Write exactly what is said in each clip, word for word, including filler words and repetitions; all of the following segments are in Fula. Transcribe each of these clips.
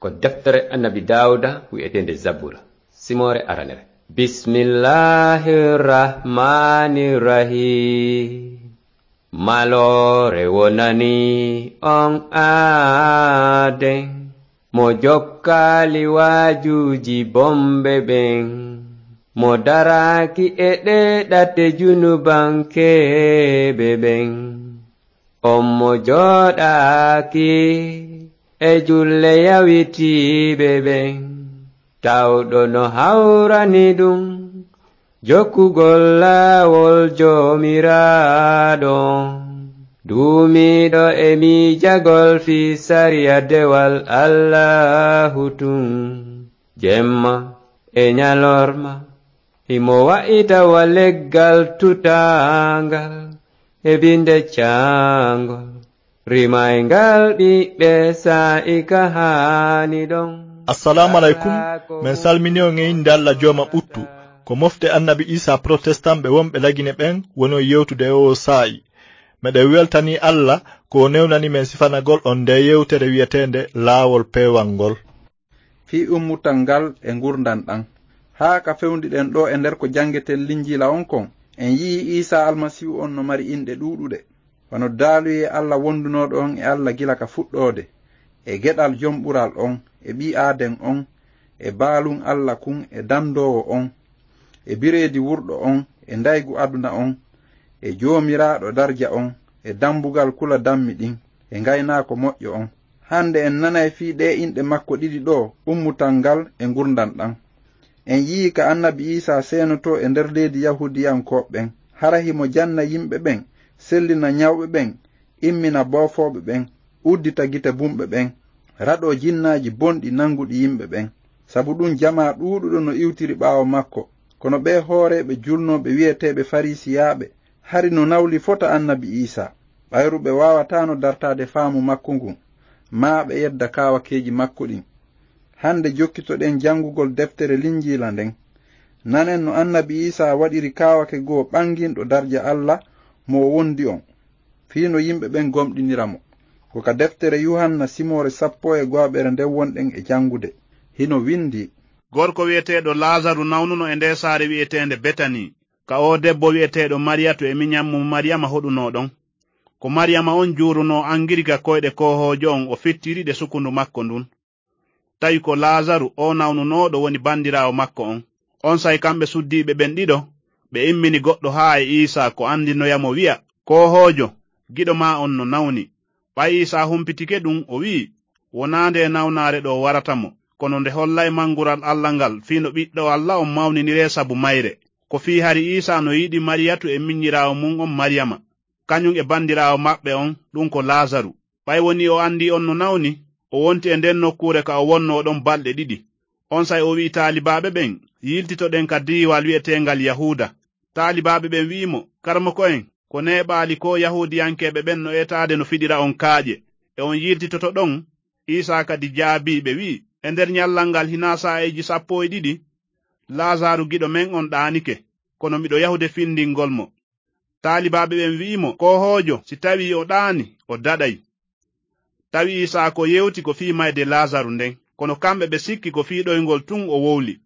Ko deftere Annabi Daawuda wi'eteende Zabura, simoore aranere. Bismillahir Rahmanir Rahim. Maloore wonani on aaden, mo jokkaali waajuuji bonɓe ɓen, mo daraaki e ɗee ɗate junubankeeɓe ɓen. On mo jooɗaaki e julle yawitiiɓe ɓen, tawɗo no hawrani ɗum jokkugol laawol Joomiraaɗo on. Duumiiɗo e miijagol fii sariya dewal Allaahu tun, jemma e ɲalorma, himo wa'ita wa leggal tutaangal e binde caangol, rimayngal ɓiɓɓe saa'i ka haani ɗon. Assalamu alaikum. Men salmini on e innde Alla Jooma ɓuttu. Ko mofte Annabi Isa Protestant ɓe wonɓe Lagine ɓen woni on yewtude e oo saa'i. Meɗen weltanii Alla ko o newnani men sifanagol on ndee yewtere wi'eteende Laawol Peewal ngol. Fii ummutal ngal e ngurndan ɗan. Haa ka fewndiɗen ɗoo e nder ko janngeten Linjiila on kon, en yi'ii Iisaa Almasiihu on no mari inɗe ɗuuɗuɗe, wano daaluyee Alla wondunooɗo on e Alla gila ka fuɗɗoode, e geɗal Jom Ɓural on, e Ɓii Aaden on, e Baalun Alla kun, e Dandoowo on, e Bireedi Wurɗo on, e Ndaygu Aduna on, e Joomiraaɗo Darja on, e Dambugal Kula Dammi ɗin, e Ngaynaako Moƴƴo on. Hande en nanay fii ɗee inɗe makko ɗiɗi ɗoo, ummutal ngal e ngurndan ɗan. En yi'ii ka Annabi Iisaa seenotoo e nder leydi Yahuudiyankooɓe ɓen, hara himo janna yimɓe ɓen, sellina ɲawɓe ɓen, immina boofooɓe ɓen, uddita gite bumɓe ɓen, raɗoo jinnaaji bonɗi nanguɗi yimɓe ɓen. Sabu ɗun, jamaa ɗuuɗuɗo no iwtiri ɓaawo makko, kono ɓee hooreeɓe julnooɓe wi'eteeɓe Fariisiyaaɓe hari no nawli fota Annabi Iisaa, ɓayru ɓe waawataano dartaade faamu makko ngun, maa ɓe yedda kaawakeeji makko ɗin. Hande jokkitoɗen janngugol deftere Linjiila nden. Nanen no Annabi Iisaa waɗiri kaawake goo ɓanginɗo darja Alla mo o wondi on, fii no yimɓe ɓen gomɗinira mo. Ko ka deftere Yuhanna simoore sappo e go'aɓere nden wonɗen e janngude. Hino windii. Gorko wi'eteeɗo Laazaru nawnuno e ndee saare wi'eteende Betanii, ka oo debbo wi'eteeɗo Mariyatu e miɲan mum Mariyama hoɗunoo ɗon. Ko Mariyama on juurunoo angiri ka koyɗe koohoojo on, o fittiri ɗe sukundu makko ndun. Tawi ko Laazaru, oo nawnunooɗo, woni bandiraawo makko on. Onsay kamɓe suddiiɓe ɓen ɗiɗo, ɓe immini goɗɗo haa e Iisaa ko andinoya mo wi'a, "Koohoojo, giɗo maa on no nawni." Ɓay Iisaa humpitike ɗun, o wi'i, "Wonaa ndee nawnaare ɗoo warata mo, kono nde hollay mangural Alla ngal, fii no Ɓiɗɗo Alla on mawniniree sabu mayre." Ko fii hari Iisaa no yiɗi Mariyatu e miɲiraawo mun on Mariyama, kaɲun e bandiraawo maɓɓe on, ɗun ko Laazaru. Ɓay wonii o andii on no nawni, o wonti e nden nokkuure ka o wonnoo ɗon balɗe ɗiɗi. Onsay o wi'i taalibaaɓe ɓen, "Yiltitoɗen ka diiwal wi'eteengal Yahuuda." Taalibaaɓe ɓen wi'i mo, "Karamoko en, ko neeɓaali koo Yahuudiyankeeɓe ɓen no etaade no fiɗira on kaaƴe, e on yiltitoto ɗon?" Iisaa kadi jaabii ɓe, wi'i, "E nder ɲallal ngal hinaa saa'eeji sappo e ɗiɗi, Laazaaru giɗo men on ɗaanike, kono miɗo yahude findingol mo." Taalibaaɓe ɓen wi'i mo, "Koohoojo, si tawii o ɗaani, o daɗay." Tawi Iisaa ko yewti ko fii mayde Laazaru nden, kono kamɓe ɓe sikki ko fii ɗoyngol tun o wowli.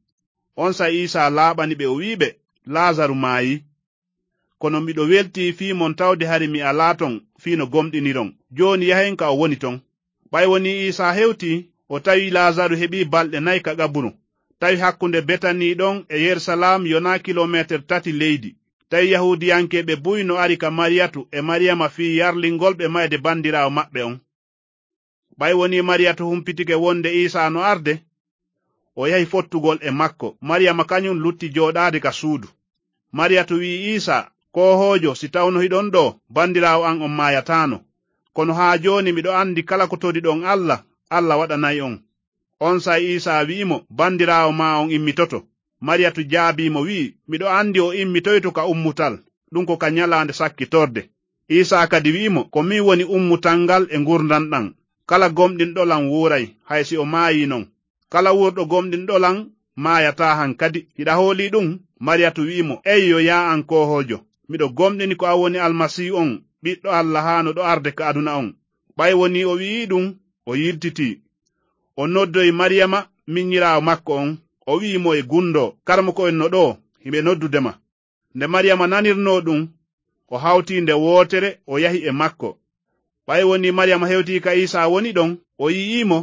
Onsay Iisaa laaɓani ɓe, o wi'i ɓe, "Laazaru maayii. Kono miɗo weltii fii mon tawde hari mi alaa ton fii no gomɗiniron. Jooni yahen ka o woni ton." Ɓay wonii Iisaa hewtii, o tawi Laazaru heɓii balɗe nay ka qaburu. Tawi hakkunde Betanii ɗon e Yerusalaam yonaa kilomeeter tati leydi. Tawi Yahuudiyankeeɓe buy no ari ka Mariyatu e Mariyama fii yarlingol ɓe mayde bandiraawo maɓɓe on. Ɓay wonii Mariyatu humpitike wonde Iisaa no arde, o yahi fottugol e makko. Mariyama kaɲun lutti jooɗaade ka suudu. Mariyatu wi'i Iisaa, "Koohoojo, si tawno hiɗon ɗoo, bandiraawo an on maayataano. Kono haa jooni miɗo andi kala ko toriɗon Alla, Alla waɗanay on." Onsay Iisaa wi'i mo, "Bandiraawo maa on immitoto." Mariyatu jaabii mo, wi'i, "Miɗo andi o immitoyto ka ummutal, ɗun ko ka ɲalaande sakkitorde." Iisaa kadi wi'i mo, "Ko min woni ummutal ngal e ngurndan ɗan. Kala gomɗinɗo lan wuuray, hay si o maayii non. Kala wuurɗo gomɗinɗo lan maayataa han kadi. Hiɗa hoolii ɗun?" Mariyatu wi'i mo, "Eyyo, yaa an koohoojo, miɗo gomɗini ko an woni Almasiihu on, Ɓiɗɗo Alla haanooɗo arde ka aduna on." Ɓay wonii o wi'ii ɗun, o yiltitii. O noddoyi Mariyama, minyiraawo makko on, o wi'i mo e gundo, "Karmoko'en no ɗoo, hiɓe noddude ma." Nde Mariyama nanirnoo ɗum, o hawti nde wootere, o yahi e makko. Ɓay wonii Mariyama hewtii ka Iisaa woni ɗon, o yi'ii mo,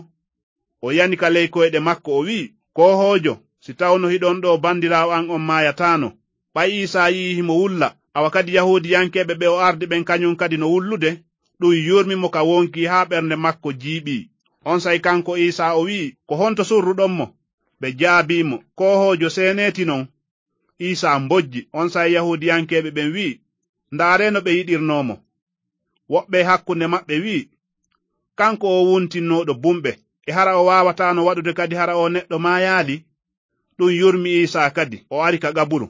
o yani ka ley koyɗe makko, o wi'i, "Koohoojo, si tawno hiɗon ɗoo, bandiraawo an on maayataano." Ɓay Iisaa yi'ii himo wulla, awa kadi Yahuudiyankeeɓe ɓe o ardi ɓen kañun kadi no wullude, ɗum yurmi mo ka wonkii haa ɓernde makko jiiɓii. Onsay kanko Iisaa o wi'i, "Ko honto surruɗon mo?" Ɓe jaabii mo, "Koohoojo, seenee ti non." Iisaa mbojji. Onsay Yahuudiyankeeɓe ɓen wi'i, "Ndaaree no ɓe yiɗirnoo mo." Woɓɓe hakkunde maɓɓe wi'i, "Kanko o wuntinnooɗo bumɓe, e hara o waawataano waɗude kadi hara o neɗɗo maayaali?" Ɗum yurmi Iisaa kadi, o ari ka qaburu.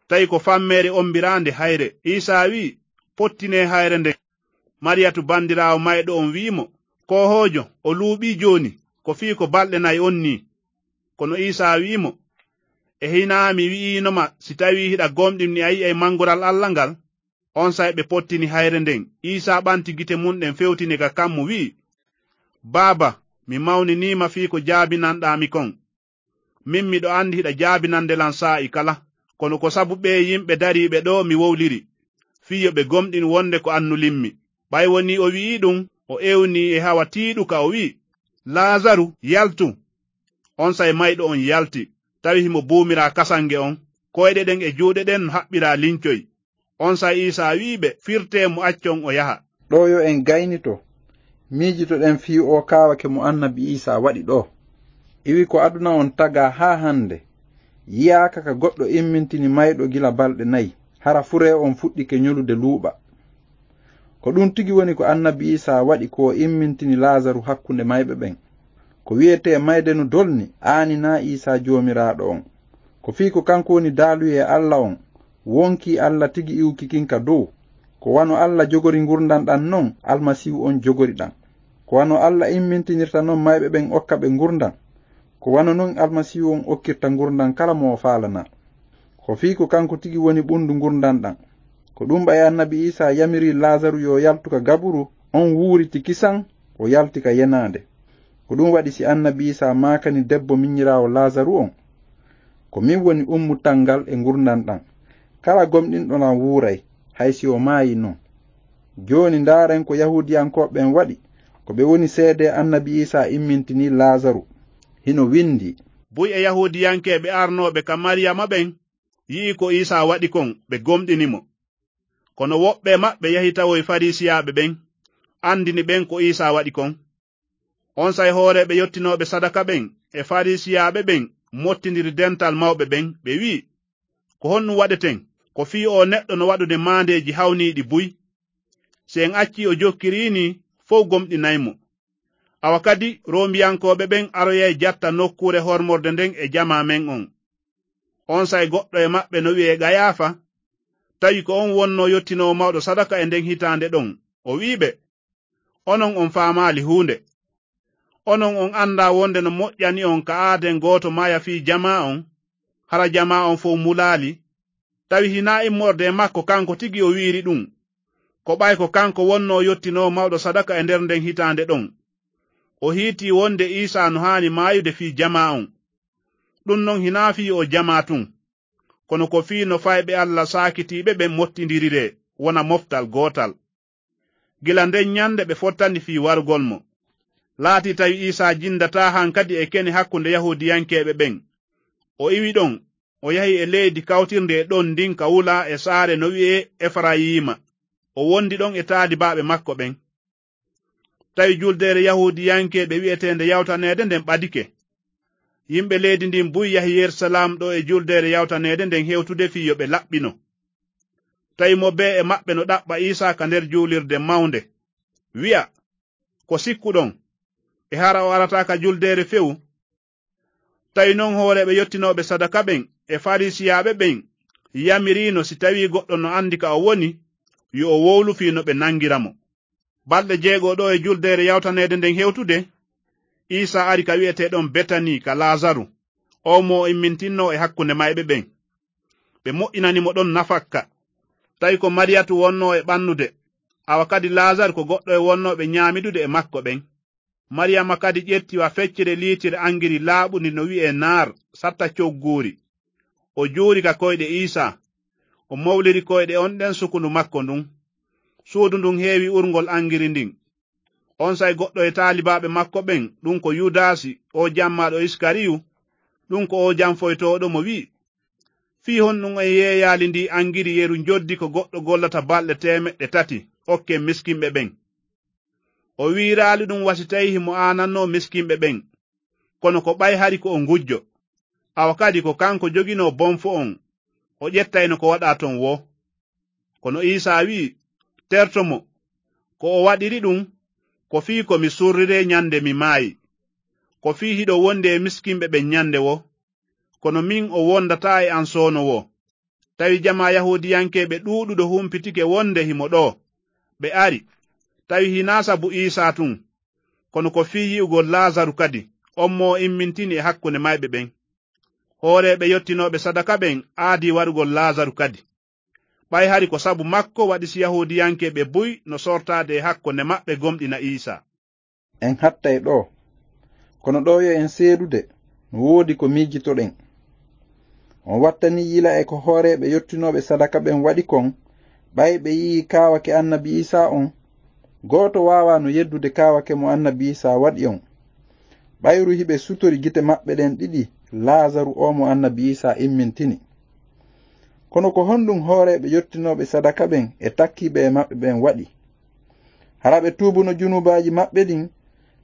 Tawi ko fammeere ombiraande hayre. Iisaa wi'i, "Pottinee hayre nden." Mariyatu bandiraawo mayɗo on wi'i mo, "Koohoojo, o luuɓii jooni, ko fii ko balɗe nay on nii." Kono Iisaa wi'i mo, "E hinaa mi wi'iino ma, si tawii hiɗa gomɗini a yi'ay mangural Alla ngal?" Onsay ɓe pottini hayre nden. Iisaa ɓanti gite mun ɗen fewtini ka kammu wi'i, "Baaba, mi mawninii ma fii ko jaabinanɗaa mi kon. Min miɗo andi hiɗa jaabinande lan saa'i kala. Kono ko sabu ɓee yimɓe dariiɓe ɗoo mi wowliri, fii yo ɓe gomɗin wonde ko an nulimmi." Ɓay wonii o wi'ii ɗum, o ewnii e hawa tiiɗuka, o wi'i, "Laazaru, yaltu!" Onsay mayɗo on yalti, tawi himo buumiraa kasange on, koyɗe ɗen e juuɗe ɗen no haɓɓiraa lincoy. Onsay Iisaa wi'i ɓe, "Firtee mo, accon o yaha." Ɗoo yo en gaynito, miijitoɗen fii oo kaawake mo annabi Iisaa waɗi ɗoo. Iwi ko aduna on tagaa haa hande, yi'aaka ka goɗɗo immintini mayɗo gila balɗe nayi, hara furee on fuɗɗike nyolude luuɓa. Ko ɗum tigi woni ko annabi Iisaa waɗi ko o immintini Laazaru hakkunde mayɓe ɓen. Ko wi'etee mayde no dolni, aaninaa Iisaa Joomiraaɗo on. Ko fii ko kanko woni daaluyee Alla on, wonkii Alla tigi iwki kin ka dow. Ko wano Alla jogori ngurndan ɗan non, Almasiihu on jogori ɗan. Ko wano Alla immintinirta non mayɓe ɓen okka ɓe ngurndan. Ko wano non Almasiihu on okkirta ngurndan kala mo o faalanaa. Ko fii ko kanko tigi woni ɓundu ngurndan ɗan. Ko ɗum ɓay annabi Iisaa yamiri Laazaru yo yaltu ka gaburu, on wuuriti kisan, o yalti ka yenaande. Ko ɗum waɗi si annabi Iisaa maakani debbo minyiraawo Laazaru on, "Ko min woni ummutal ngal e ngurndan ɗan. Kala gomɗinɗo lan wuuray, hay si o maayi non." Jooni ndaaren ko Yahuudiyankooɓe ɓen waɗi, ko ɓe woni seedee annabi Iisaa immintinii Laazaru. Hino windii, "Buy e Yahuudiyankeeɓe arnooɓe ka Mariyama ɓen yi'i ko Iisaa waɗi kon, ɓe gomɗini mo. Kono woɓɓe maɓɓe yahi tawoy Fariisiyaaɓe ɓen, andini ɓen ko Iisaa waɗi kon." Onsay hooreeɓe yottinooɓe sadaka ɓen e Fariisiyaaɓe ɓen mottindiri dental mawɓe ɓen, ɓe wi'i, "Ko honɗum waɗeten? Ko fii oo neɗɗo no waɗude maandeeji hawniiɗi buy. Si en accii o jokkirii nii, fow gomɗinay mo. Awa kadi, Roomiyankooɓe ɓen aroyay jatta nokkuure hormorde nden e jamaa men on." Onsay goɗɗo e maɓɓe no wi'ee Gayaafa, tawi ko on wonnoo yottinoowo mawɗo sadaka e nden hitaande ɗon. O wi'i ɓe, "Onon on faamaali huunde. Onon on andaa wonde no moƴƴani on ka aaden gooto maaya fii jamaa on, hara jamaa on fow mulaali. Tawi hinaa immorde e makko kanko tigi o wi'iri ɗum. Ko ɓay ko kanko wonnoo yottinoowo mawɗo sadaka e nder nden hitaande ɗon. O hiitii wonde Iisaa no haani maayude fii jamaa on. Ɗum non hinaa fii oo jamaa tun, kono ko fii no fayɓe Alla saakitiiɓe ɓen mottindiriree, wona moftal gootal." Gila nden ɲande ɓe fottani fii warugol mo. Laatii tawi Iisaa jindataa hankadi e kene hakkunde Yahuudiyankeeɓe ɓen. O iwi ɗon, o yahi e leydi kawtirndi e ɗon ndin ka wula e saare no wi'ee Efarayiima. O wondi ɗon e taalibaaɓe makko ɓen. Tawi juldeere Yahuudiyankeeɓe wi'eteende Yawtaneede nden ɓadike. Yimɓe leydi ndin buy yahi Yerusalaam ɗo e juldeere Yawtaneede nden hewtude fii yo ɓe laɓɓino. Tawi mo bee e maɓɓe no ɗaɓɓa Iisaa ka nder juulirde mawnde, wi'a, "Ko sikkuɗon? E hara o arataa ka juldeere few?" Tawi non hooreeɓe yottinooɓe sadaka ɓen e Fariisiyaaɓe ɓen yamiriino si tawii goɗɗo no andi ka o woni, yo o wowlu fii no ɓe nangira mo. Balɗe jeego ɗo e juldeere yawtaneede nden hewtude, Iisaa ari ka wi'etee ɗon Betanii ka Laazaru, on mo o immintinnoo e hakkunde mayɓe ɓen. Ɓe moƴƴinani mo ɗon nafakka. Tawi ko Mariyatu wonnoo e ɓannude, awa kadi Laazaru ko goɗɗo e wonnooɓe ɲaamidude e makko ɓen. Mariyama kadi ƴetti wa feccere liitir angiri laaɓundi no wi'ee naar, satta cogguuri. O juuri ka koyɗe Iisaa. O mowliri koyɗe on ɗen sukundu makko ndun. Suudu ndun heewi urngol angiri ndin. Onsay goɗɗo e taalibaaɓe makko ɓen, ɗun ko Yudaasi, oo jammaaɗo Iskariyu, ɗun ko oo janfoytooɗo mo wi'i, "Fii honɗun en yeeyaali ndii angiri yeru njoddi ko goɗɗo gollata balɗe teemeɗɗe tati, okken miskinɓe ɓen?" O wi'iraali ɗun wa si tawii himo aanannoo miskinɓe ɓen, kono ko ɓay hari ko o ngujjo. Awa kadi ko kanko joginoo bonfo on, o ƴettayno ko waɗaa ton woo. Kono Iisaa wi'i, "Terto mo, ko o waɗiri ɗun, ko fii ko mi surriree ɲande mi maayi, ko fii hiɗo wondi e miskinɓe ɓen ɲande woo, kono min o wondataa e an soono woo." Tawi jamaa Yahuudiyankeeɓe ɗuuɗuɗo humpitike wonde himo ɗoo. Ɓe ari, tawi hinaa sabu Iisaa tun, kono ko fii yi'ugol Laazaru kadi, on mo o immintini e hakkunde mayɓe ɓen. Hooreeɓe yottinooɓe sadaka ɓen aadii warugol Laazaru kadi. Ɓay hari ko sabu makko waɗi si Yahuudiyankeeɓe buy no sortaade e hakkunde maɓɓe gomɗina Iisaa. En hattay ɗoo. Kono ɗoo yo en seedude, no woodi ko miijitoɗen. On wattanii yila e ko hooreeɓe yottinooɓe sadaka ɓen waɗi kon, ɓay ɓe yi'ii kaawake annabi Iisaa on? Gooto waawaa no yeddude kaawake mo annabi Iisaa waɗi on. Ɓayru hiɓe sutori gite maɓɓe ɗen ɗiɗi Laazaru oo mo annabi Iisaa immintini. Kono ko honɗun hooreeɓe yottinooɓe sadaka ɓen e takkiiɓe e maɓɓe ɓen waɗi? Hara ɓe tuubuno junubaaji maɓɓe ɗin,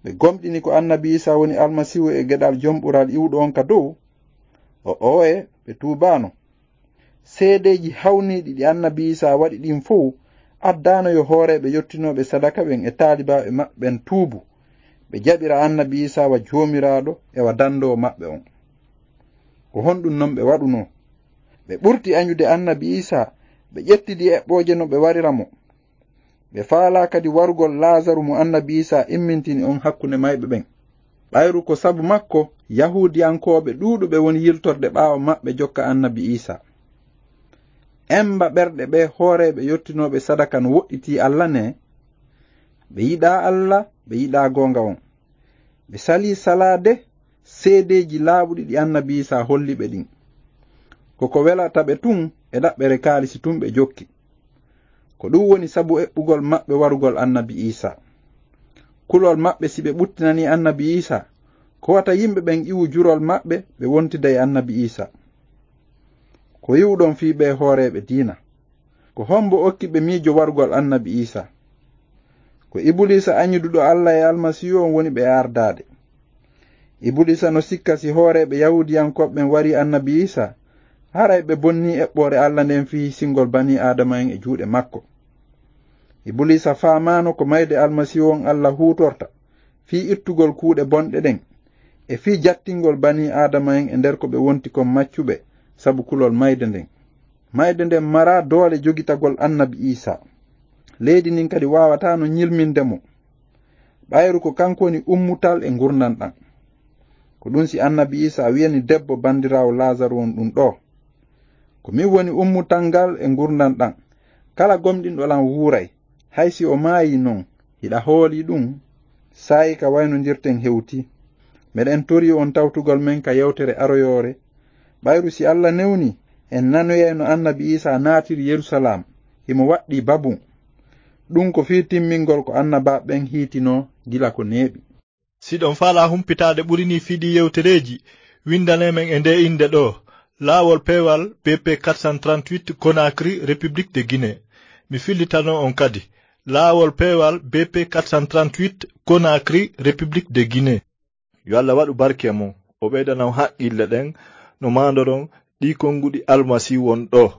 ɓe gomɗini ko annabi Iisaa woni Almasiihu e geɗal jom ɓural iwɗo on ka dow? O'o'e, ɓe tuubaano. Seedeeji hawniiɗi ɗi annabi Iisaa waɗi ɗin fow addaano yo hooreeɓe yottinooɓe sadaka ɓen e taalibaaɓe maɓɓe ɓen tuubu, ɓe jaɓira annabi Iisaa wa Joomiraaɗo e wa dandoowo maɓɓe on. Ko honɗun non ɓe waɗunoo? Ɓe ɓurti aɲude annabi Iisaa, ɓe ƴettidi eɓɓooje no ɓe warira mo. Ɓe faalaa kadi warugol Laazaru mo annabi Iisaa immintini on hakkunde mayɓe ɓen. Ɓayru ko sabu makko Yahuudiyankooɓe ɗuuɗuɓe woni yiltorde ɓaawo maɓɓe jokka annabi Iisaa. Emba ɓerɗe ɓee hooreeɓe yottinooɓe sadaka no woɗɗitii Alla nee, ɓe yiɗaa Alla, ɓe yiɗaa goonga on. Ɓe salii salaade seedeeji laaɓuɗi ɗi annabi Iisaa holli ɓe ɗin. Ko ko welata ɓe tun e ɗaɓɓere kaalisi tun ɓe jokki. Ko ɗun woni sabu eɓɓugol maɓɓe warugol annabi Iisaa. Kulol maɓɓe si ɓe ɓuttinanii annabi Iisaa, ko wata yimɓe ɓen iwu jurol maɓɓe ɓe wontida e annabi Iisaa. Ko yi'uɗon fii ɓee hooreeɓe diina? Ko hombo okki ɓe miijo warugol annabi Iisaa? Ko Ibuliisa aɲuduɗo Alla e Almasiihu on woni ɓe ardaade. Ibuliisa no sikka si hooreeɓe Yahuudiyankooɓe ɓen warii annabi Iisaa, haray ɓe bonnii eɓɓoore Alla nden fii hisingol banii Aadama'en e juuɗe makko. Ibuliisa faamaano ko mayde Almasiihu on Alla huutorta fii ittugol kuuɗe bonɗe ɗen, e fii jattingol banii Aadama'en e nder ko ɓe wonti kon maccuɓe sabu kulol mayde nden. Mayde nden maraa doole jogitagol annabi Iisaa. Leydi ndin kadi waawataano ɲilminde mo. Ɓayru ko kanko woni ummutal e ngurndan ɗan. Ko ɗun si annabi Iisaa wi'ani debbo bandiraawo Laazaru on ɗun ɗoo, "Ko min woni ummutal ngal e ngurndan ɗan. Kala gomɗinɗo lan wuuray, hay si o maayii non. Hiɗa hoolii ɗun?" Saa'i ka waynondirten hewtii. Meɗen torii on tawtugol men ka yewtere aroyoore. Ɓayru si Alla newni, en nanoyay no annabi Iisaa naatiri Yerusalaam, himo waɗɗii babun. Ɗun ko fii timmingol ko annabaaɓe ɓen hiitinoo gila ko neeɓi. Si ɗon faalaa humpitaade ɓuri nii fii ɗii yewtereeji, winndanee men e ndee innde ɗoo, Laawol Peewal B P quatre cent trente-huit, Conakry, République de Guinée. Mi fillitanoo on kadi, Laawol Peewal B P quatre cent trente-huit, Conakry, République de Guinée. Yo Alla waɗu barke e mon, o ɓeydana on haqqille ɗen no maandoron ɗii konnguɗi Almasiihu on ɗoo.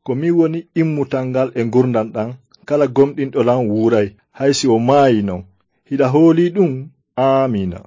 Ko min woni immutal ngal e ngurndan ɗan, kala gomɗinɗo lan wuuray, hay si o maayii non. Hiɗa hoolii ɗun? Aamiina.